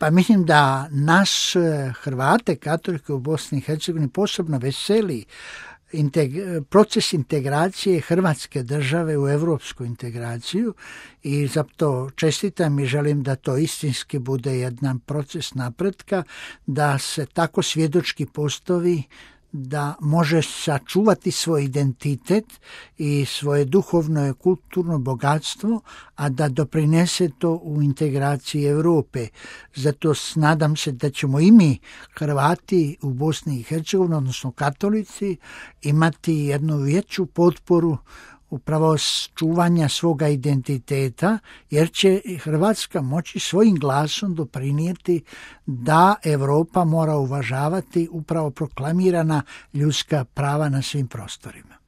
Pa mislim da nas Hrvate, katolike u Bosni i Hercegovini posebno veseli proces integracije Hrvatske države u europsku integraciju i zato čestitam i želim da to istinski bude jedan proces napretka, da se tako svjedočki postavi da može sačuvati svoj identitet i svoje duhovno i kulturno bogatstvo, a da doprinese to u integraciji Europe. Zato nadam se da ćemo i mi, Hrvati u Bosni i Hercegovini, odnosno katolici, imati jednu veću potporu upravo čuvanja svoga identiteta, jer će Hrvatska moći svojim glasom doprinijeti da Europa mora uvažavati upravo proklamirana ljudska prava na svim prostorima.